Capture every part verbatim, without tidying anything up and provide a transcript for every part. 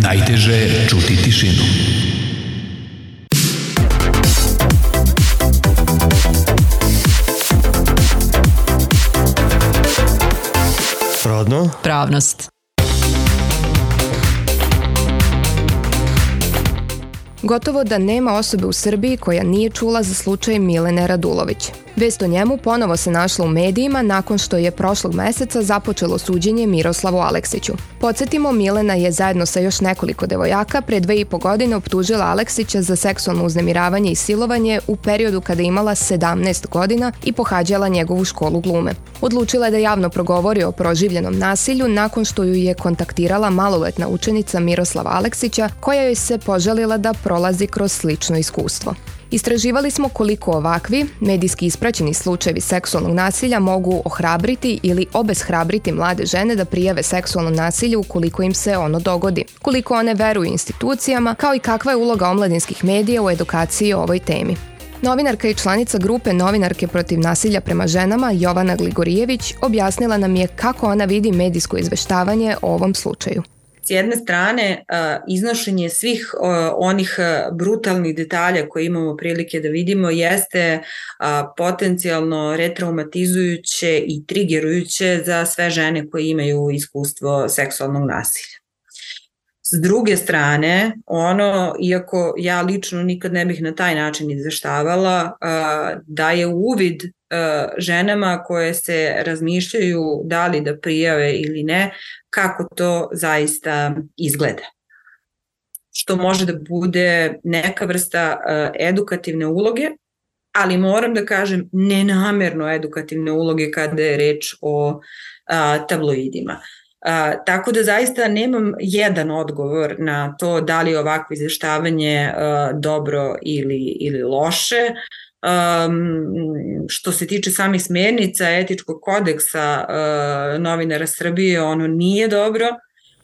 Najteže je čuti tišinu. Rodno? Pravnost. Gotovo da nema osobe u Srbiji koja nije čula za slučaj Milene Radulović. Vest o njemu ponovo se našla u medijima nakon što je prošlog meseca započelo suđenje Miroslavu Aleksiću. Podsjetimo, Milena je zajedno sa još nekoliko devojaka pre dve i po godine optužila Aleksića za seksualno uznemiravanje i silovanje u periodu kada je imala sedamnaest godina i pohađala njegovu školu glume. Odlučila je da javno progovori o proživljenom nasilju nakon što ju je kontaktirala maloletna učenica Miroslava Aleksića, koja joj se poželila da prolazi kroz slično iskustvo. Istraživali smo koliko ovakvi, medijski ispraćeni slučajevi seksualnog nasilja mogu ohrabriti ili obeshrabriti mlade žene da prijave seksualno nasilje ukoliko im se ono dogodi, koliko one veruju institucijama, kao i kakva je uloga omladinskih medija u edukaciji o ovoj temi. Novinarka i članica grupe Novinarke protiv nasilja prema ženama Jovana Gligorijević objasnila nam je kako ona vidi medijsko izveštavanje o ovom slučaju. S jedne strane, iznošenje svih onih brutalnih detalja koje imamo prilike da vidimo jeste potencijalno retraumatizujuće i trigerujuće za sve žene koje imaju iskustvo seksualnog nasilja. S druge strane, ono, iako ja lično nikad ne bih na taj način izveštavala, daje uvid ženama koje se razmišljaju da li da prijave ili ne, kako to zaista izgleda. Što može da bude neka vrsta edukativne uloge, ali moram da kažem nenamerno edukativne uloge kada je reč o tabloidima. Uh, tako da zaista nemam jedan odgovor na to da li je ovakvo izveštavanje uh, dobro ili, ili loše. Um, što se tiče samih smernica etičkog kodeksa uh, novinara Srbije, ono nije dobro.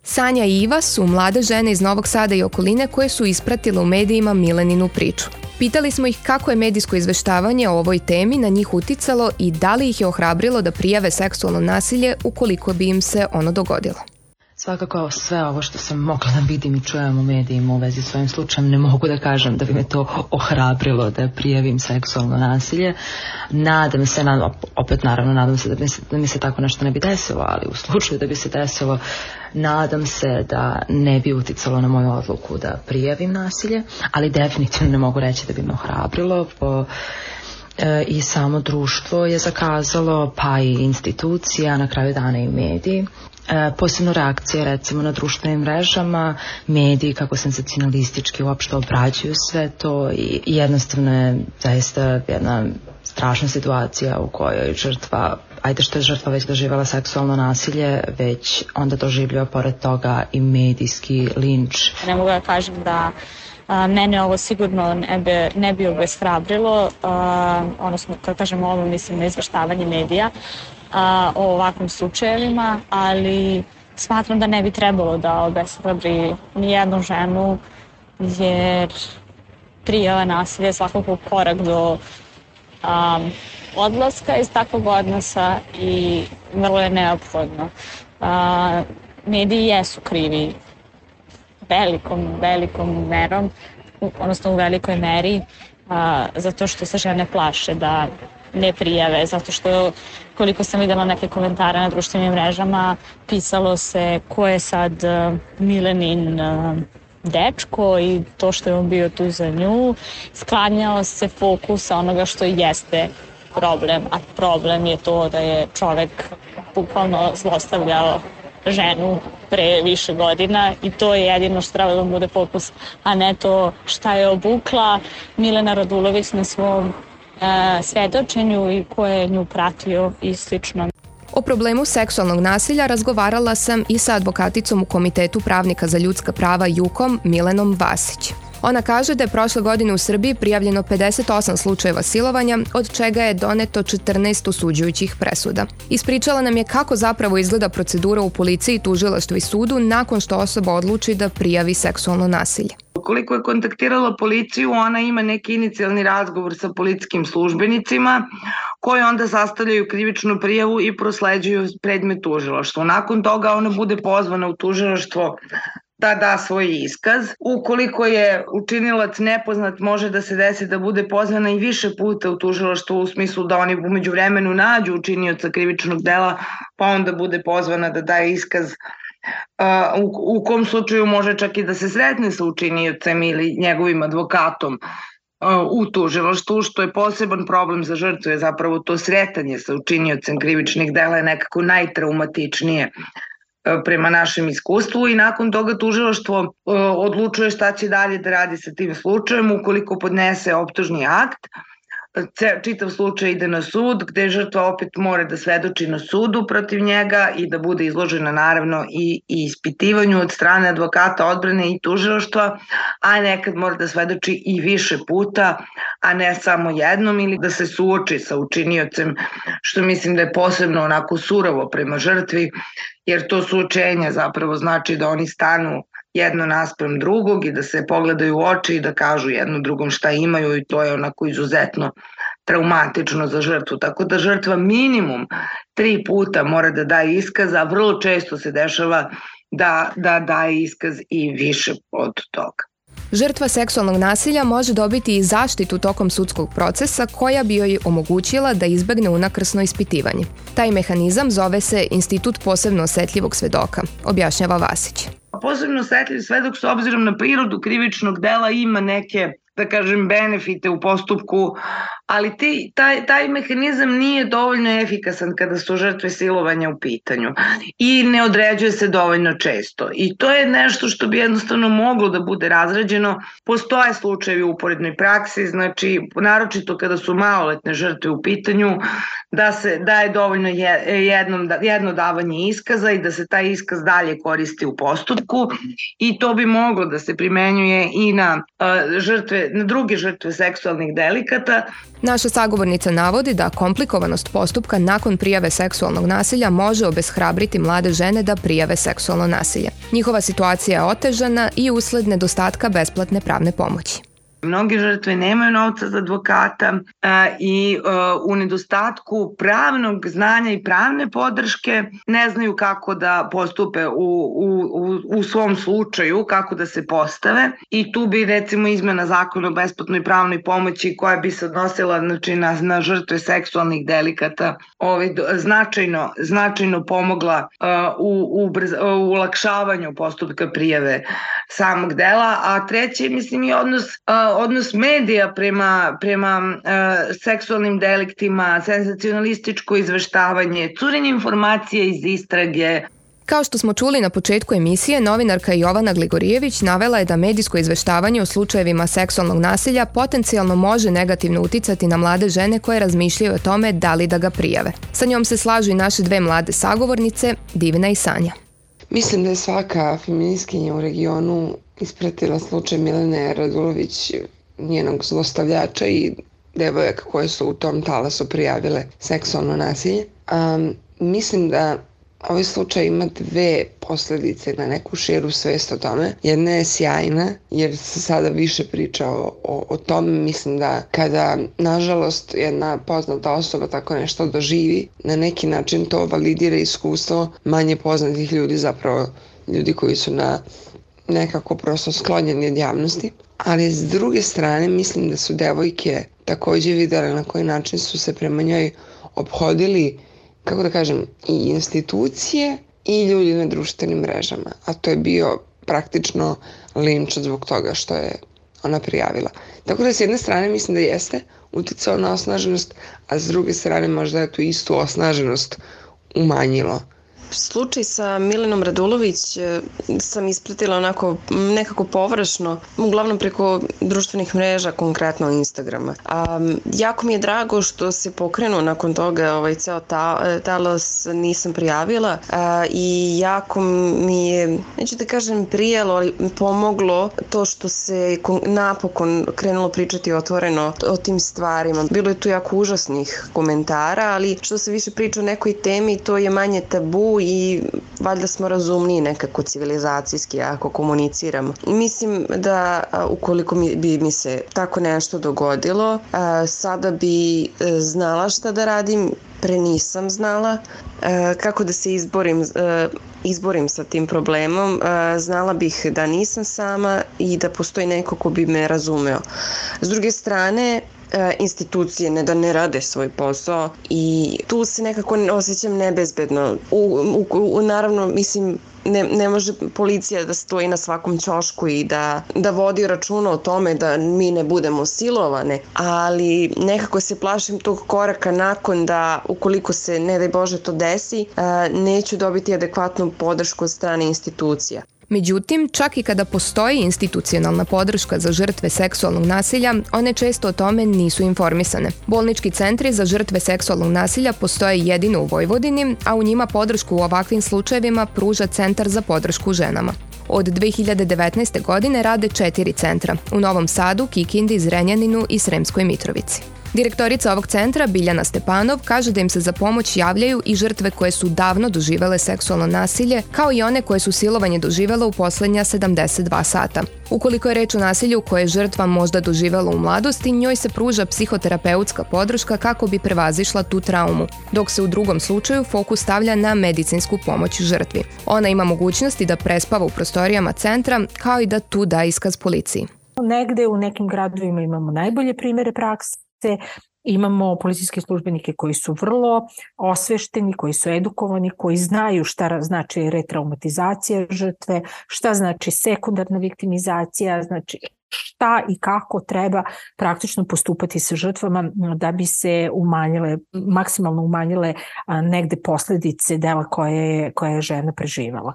Sanja i Iva su mlade žene iz Novog Sada i okoline koje su ispratile u medijima Mileninu priču. Pitali smo ih kako je medijsko izveštavanje o ovoj temi na njih uticalo i da li ih je ohrabrilo da prijave seksualno nasilje ukoliko bi im se ono dogodilo. Svakako sve ovo što sam mogla da vidim i čujem u medijima u vezi s ovim slučajem, ne mogu da kažem da bi me to ohrabrilo da prijavim seksualno nasilje. Nadam se, opet naravno nadam se da mi se, da mi se tako nešto ne bi desilo, ali u slučaju da bi se desilo, nadam se da ne bi uticalo na moju odluku da prijavim nasilje, ali definitivno ne mogu reći da bi me ohrabrilo. Po i samo društvo je zakazalo, pa i institucija, na kraju dana i mediji. E, posebno reakcije recimo na društvenim mrežama, mediji kako senzacionalistički uopšte obrađuju sve to i jednostavno je zaista jedna strašna situacija u kojoj žrtva, ajde što je žrtva već doživjela seksualno nasilje, već onda doživljava pored toga i medijski linč. Ne mogu da kažem da a, mene ovo sigurno ne bi, ne bi obeshrabrilo, odnosno kad kažem ovo mislim na izveštavanje medija a, o ovakvim slučajevima, ali smatram da ne bi trebalo da obeshrabri nijednu ženu, jer prijava nasilja je svakako korak do um, odlaska iz takvog odnosa i vrlo je neophodno. Uh, mediji jesu krivi velikom, velikom merom, odnosno u velikoj meri, uh, zato što se žene plaše da ne prijave, zato što koliko sam videla neke komentare na društvenim mrežama, pisalo se ko je sad uh, Milenin uh, dečko i to što je on bio tu za nju, sklanjao se fokus onoga što jeste problem, a problem je to da je čovek bukvalno zlostavljao ženu pre više godina i to je jedino što treba da bude fokus, a ne to šta je obukla Milena Radulović na svom uh, svedočenju i ko je nju pratio i slično. O problemu seksualnog nasilja razgovarala sam i sa advokaticom u Komitetu pravnika za ljudska prava JUKOM Milenom Vasić. Ona kaže da je prošle godine u Srbiji prijavljeno pedeset osam slučajeva silovanja, od čega je doneto četrnaest osuđujućih presuda. Ispričala nam je kako zapravo izgleda procedura u policiji, tužilaštvu i sudu nakon što osoba odluči da prijavi seksualno nasilje. Ukoliko je kontaktirala policiju, ona ima neki inicijalni razgovor sa policijskim službenicima koji onda sastavljaju krivičnu prijavu i prosleđuju predmet tužilaštvu. Nakon toga ona bude pozvana u tužilaštvo da da svoj iskaz. Ukoliko je učinilac nepoznat, može da se desi da bude pozvana i više puta u tužilaštvo u smislu da oni umeđu vremenu nađu učinioca krivičnog dela, pa onda bude pozvana da daje iskaz. Uh, u, u kom slučaju može čak i da se sretne sa učiniocem ili njegovim advokatom uh, u tužilaštvu, što je poseban problem za žrtvu, je zapravo to sretanje sa učiniocem krivičnih dela je nekako najtraumatičnije uh, prema našem iskustvu i nakon toga tužilaštvo uh, odlučuje šta će dalje da radi sa tim slučajem. Ukoliko podnese optužni akt, čitav slučaj ide na sud, gde žrtva opet mora da svedoči na sudu protiv njega i da bude izložena naravno i, i ispitivanju od strane advokata odbrane i tužilaštva, a nekad mora da svedoči i više puta, a ne samo jednom, ili da se suoči sa učiniocem, što mislim da je posebno onako surovo prema žrtvi, jer to suočenje zapravo znači da oni stanu jedno naspram drugog i da se pogledaju u oči i da kažu jedno drugom šta imaju, i to je onako izuzetno traumatično za žrtvu. Tako da žrtva minimum tri puta mora da daje iskaz, a vrlo često se dešava da, da daje iskaz i više od toga. Žrtva seksualnog nasilja može dobiti i zaštitu tokom sudskog procesa koja bi joj omogućila da izbegne unakrsno ispitivanje. Taj mehanizam zove se Institut posebno osetljivog svedoka, objašnjava Vasić. Posebno osetljiv svedok s obzirom na prirodu krivičnog dela ima neke, da kažem, benefite u postupku, ali ti, taj, taj mehanizam nije dovoljno efikasan kada su žrtve silovanja u pitanju i ne određuje se dovoljno često. I to je nešto što bi jednostavno moglo da bude razrađeno. Postoje slučajevi u uporednoj praksi, znači naročito kada su maloletne žrtve u pitanju, da se daje dovoljno jedno, jedno davanje iskaza i da se taj iskaz dalje koristi u postupku, i to bi moglo da se primenjuje i na uh, žrtve, na druge žrtve seksualnih delikata. Naša sagovornica navodi da komplikovanost postupka nakon prijave seksualnog nasilja može obeshrabriti mlade žene da prijave seksualno nasilje. Njihova situacija je otežana i usled nedostatka besplatne pravne pomoći. Mnoge žrtve nemaju novca za advokata a, i a, u nedostatku pravnog znanja i pravne podrške ne znaju kako da postupe u, u, u, u svom slučaju, kako da se postave, i tu bi recimo izmena zakona o besplatnoj pravnoj pomoći koja bi se odnosila znači, na, na žrtve seksualnih delikata ovaj, značajno, značajno pomogla a, u, u, brz, u ulakšavanju postupka prijave samog dela, a treće mislim i odnos a, odnos medija prema, prema uh, seksualnim deliktima, senzacionalističko izveštavanje, curenje informacije iz istrage. Kao što smo čuli na početku emisije, novinarka Jovana Gligorijević navela je da medijsko izveštavanje o slučajevima seksualnog nasilja potencijalno može negativno uticati na mlade žene koje razmišljaju o tome da li da ga prijave. Sa njom se slažu i naše dve mlade sagovornice, Divna i Sanja. Mislim da je svaka feministkinja u regionu ispratila slučaj Milene Radulović, njenog zlostavljača i devojaka koje su u tom talasu prijavile seksualno nasilje. Um, mislim da ovaj slučaj ima dve posledice na neku širu svest o tome. Jedna je sjajna jer se sada više priča o, o, o tome. Mislim da kada nažalost jedna poznata osoba tako nešto doživi, na neki način to validira iskustvo manje poznatih ljudi, zapravo ljudi koji su na nekako prosto sklonjeni od javnosti. Ali s druge strane mislim da su devojke takođe videle na koji način su se prema njoj ophodili, kako da kažem, i institucije i ljudi na društvenim mrežama. A to je bio praktično linč zbog toga što je ona prijavila. Tako da s jedne strane mislim da jeste uticao na osnaženost, a s druge strane možda je tu istu osnaženost umanjilo. Slučaj sa Milenom Radulović sam ispratila onako nekako površno, uglavnom preko društvenih mreža, konkretno Instagrama. A, jako mi je drago što se pokrenuo nakon toga ovaj ceo ta, talas, nisam prijavila a, i jako mi je, neću da kažem prijelo, ali pomoglo to što se napokon krenulo pričati otvoreno o tim stvarima. Bilo je tu jako užasnih komentara, ali što se više priča o nekoj temi, to je manje tabu i valjda smo razumniji nekako civilizacijski ako komuniciramo. I mislim da ukoliko mi, bi mi se tako nešto dogodilo, sada bi znala šta da radim pre nisam znala kako da se izborim, izborim sa tim problemom. Znala bih da nisam sama i da postoji neko ko bi me razumeo. S druge strane, institucije ne da ne rade svoj posao i tu se nekako osjećam nebezbedno. U, u, u, naravno, mislim, Ne, ne može policija da stoji na svakom ćošku i da, da vodi računa o tome da mi ne budemo silovane, ali nekako se plašim tog koraka nakon da ukoliko se, ne daj Bože, to desi, neću dobiti adekvatnu podršku od strane institucija. Međutim, čak i kada postoji institucionalna podrška za žrtve seksualnog nasilja, one često o tome nisu informisane. Bolnički centri za žrtve seksualnog nasilja postoje jedino u Vojvodini, a u njima podršku u ovakvim slučajevima pruža Centar za podršku ženama. Od dve hiljade devetnaeste. godine rade četiri centra u Novom Sadu, Kikindi, Zrenjaninu i Sremskoj Mitrovici. Direktorica ovog centra, Biljana Stepanov, kaže da im se za pomoć javljaju i žrtve koje su davno doživele seksualno nasilje, kao i one koje su silovanje doživele u poslednja sedamdeset dva sata. Ukoliko je reč o nasilju koje je žrtva možda doživela u mladosti, njoj se pruža psihoterapeutska podrška kako bi prevazišla tu traumu, dok se u drugom slučaju fokus stavlja na medicinsku pomoć žrtvi. Ona ima mogućnosti da prespava u prostorijama centra, kao i da tu da iskaz policiji. Negde u nekim gradovima imamo najbolje primere prakse. Imamo policijske službenike koji su vrlo osvešteni, koji su edukovani, koji znaju šta znači retraumatizacija žrtve, šta znači sekundarna viktimizacija, znači šta i kako treba praktično postupati sa žrtvama da bi se umanjile, maksimalno umanjile negde posledice dela koje je, koje je žena preživala.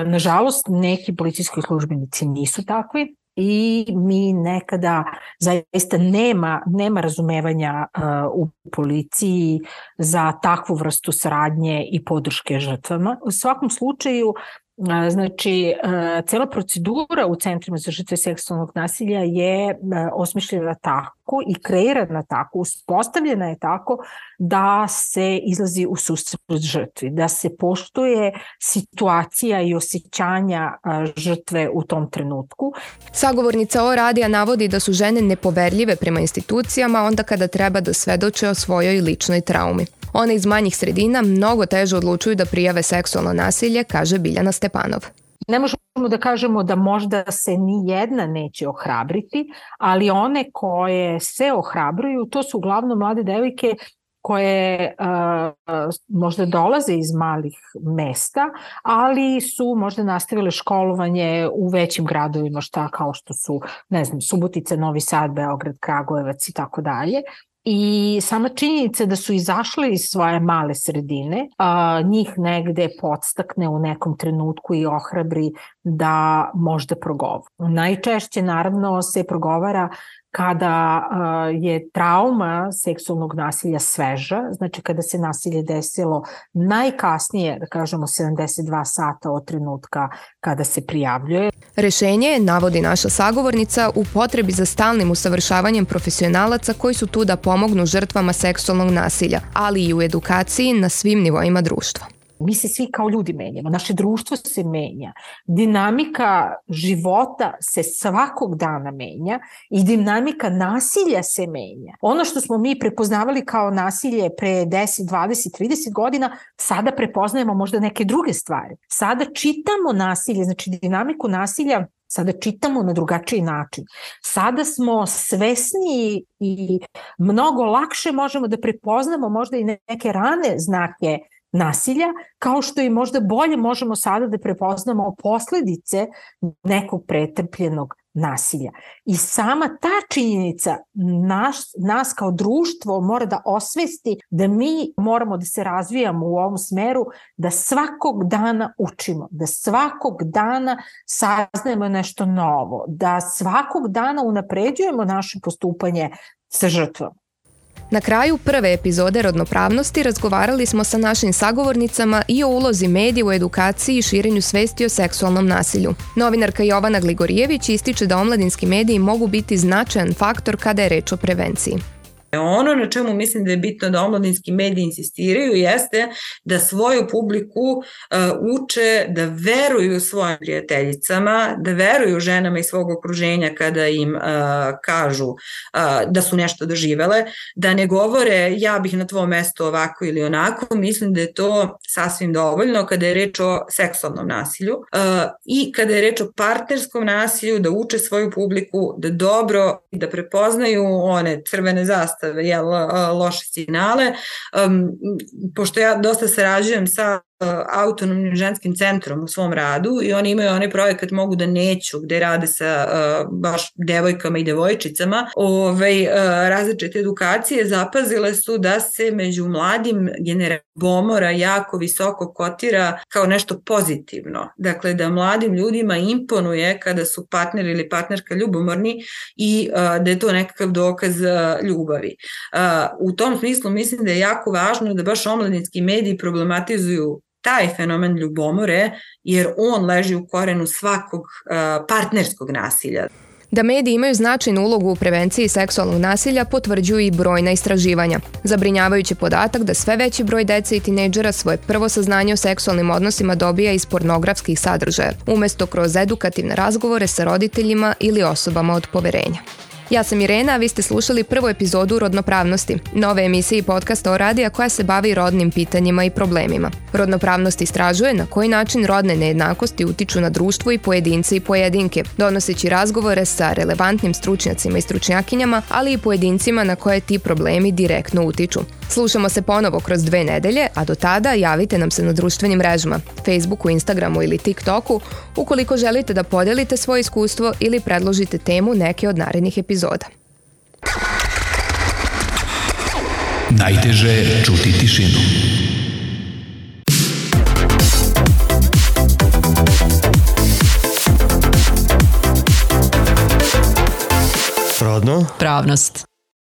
Nažalost, neki policijski službenici nisu takvi. I mi nekada zaista nema, nema razumevanja uh, u policiji za takvu vrstu saradnje i podrške žrtvama. U svakom slučaju, uh, znači, uh, cela procedura u centrima za žrtve seksualnog nasilja je uh, osmišljena tako i kreirana tako, uspostavljena je tako da se izlazi u susret žrtvi, da se poštuje situacija i osjećanja žrtve u tom trenutku. Sagovornica O radija navodi da su žene nepoverljive prema institucijama onda kada treba da svedoče o svojoj ličnoj traumi. One iz manjih sredina mnogo teže odlučuju da prijave seksualno nasilje, kaže Biljana Stepanov. Ne možemo da kažemo da možda se ni jedna neće ohrabriti, ali one koje se ohrabruju, to su uglavnom mlade devojke koje uh, možda dolaze iz malih mesta, ali su možda nastavile školovanje u većim gradovima, šta kao što su, ne znam, Subotica, Novi Sad, Beograd, Kragujevac i tako dalje. I sama činjenica da su izašle iz svoje male sredine, a, njih negde podstakne u nekom trenutku i ohrabri da možda progovara. Najčešće naravno se progovara kada uh, je trauma seksualnog nasilja sveža, znači kada se nasilje desilo najkasnije, da kažemo sedamdeset dva sata od trenutka kada se prijavljuje. Rešenje je, navodi naša sagovornica, u potrebi za stalnim usavršavanjem profesionalaca koji su tu da pomognu žrtvama seksualnog nasilja, ali i u edukaciji na svim nivoima društva. Mi se svi kao ljudi menjamo, naše društvo se menja, dinamika života se svakog dana menja i dinamika nasilja se menja. Ono što smo mi prepoznavali kao nasilje pre deset, dvadeset, trideset godina, sada prepoznajemo možda neke druge stvari. Sada čitamo nasilje, znači dinamiku nasilja, sada čitamo na drugačiji način. Sada smo svesniji i mnogo lakše možemo da prepoznamo možda i neke rane znake nasilja, kao što i možda bolje možemo sada da prepoznamo posledice nekog pretrpljenog nasilja. I sama ta činjenica naš, nas kao društvo mora da osvesti da mi moramo da se razvijamo u ovom smeru, da svakog dana učimo, da svakog dana saznajemo nešto novo, da svakog dana unapređujemo naše postupanje sa žrtvom. Na kraju prve epizode Rodnopravnosti razgovarali smo sa našim sagovornicama i o ulozi medija u edukaciji i širenju svesti o seksualnom nasilju. Novinarka Jovana Gligorijević ističe da omladinski mediji mogu biti značajan faktor kada je reč o prevenciji. Ono na čemu mislim da je bitno da omladinski mediji insistiraju jeste da svoju publiku uh, uče da veruju svojim prijateljicama, da veruju ženama iz svog okruženja kada im uh, kažu uh, da su nešto doživele, da ne govore ja bih na tvom mestu ovako ili onako. Mislim da je to sasvim dovoljno kada je reč o seksualnom nasilju uh, i kada je reč o partnerskom nasilju, da uče svoju publiku da dobro, da prepoznaju one crvene zastave, jel, loše signale. Um, pošto ja dosta sarađujem sa autonomnim ženskim centrom u svom radu i oni imaju onaj projekat Mogu da neću, gde rade sa uh, baš devojkama i devojčicama ovaj, uh, različite edukacije, zapazile su da se među mladim generacijama ljubomora jako visoko kotira kao nešto pozitivno. Dakle, da mladim ljudima imponuje kada su partner ili partnerka ljubomorni i uh, da je to nekakav dokaz uh, ljubavi. Uh, u tom smislu mislim da je jako važno da baš omladinski mediji problematizuju taj fenomen ljubomore, jer on leži u korenu svakog uh, partnerskog nasilja. Da mediji imaju značajnu ulogu u prevenciji seksualnog nasilja potvrđuju i brojna istraživanja. Zabrinjavajući podatak da sve veći broj dece i tinejdžera svoje prvo saznanje o seksualnim odnosima dobija iz pornografskih sadržaja, umesto kroz edukativne razgovore sa roditeljima ili osobama od poverenja. Ja sam Irena, a vi ste slušali prvu epizodu Rodnopravnosti, nove emisije i podcasta o radija koja se bavi rodnim pitanjima i problemima. Rodnopravnost istražuje na koji način rodne nejednakosti utiču na društvo i pojedince i pojedinke, donoseći razgovore sa relevantnim stručnjacima i stručnjakinjama, ali i pojedincima na koje ti problemi direktno utiču. Slušamo se ponovo kroz dve nedelje, a do tada javite nam se na društvenim mrežama, Facebooku, Instagramu ili TikToku, ukoliko želite da podelite svoje iskustvo ili predložite temu neke od narednih epizoda. Najteže je čuti tišinu. Rodno. Pravnost.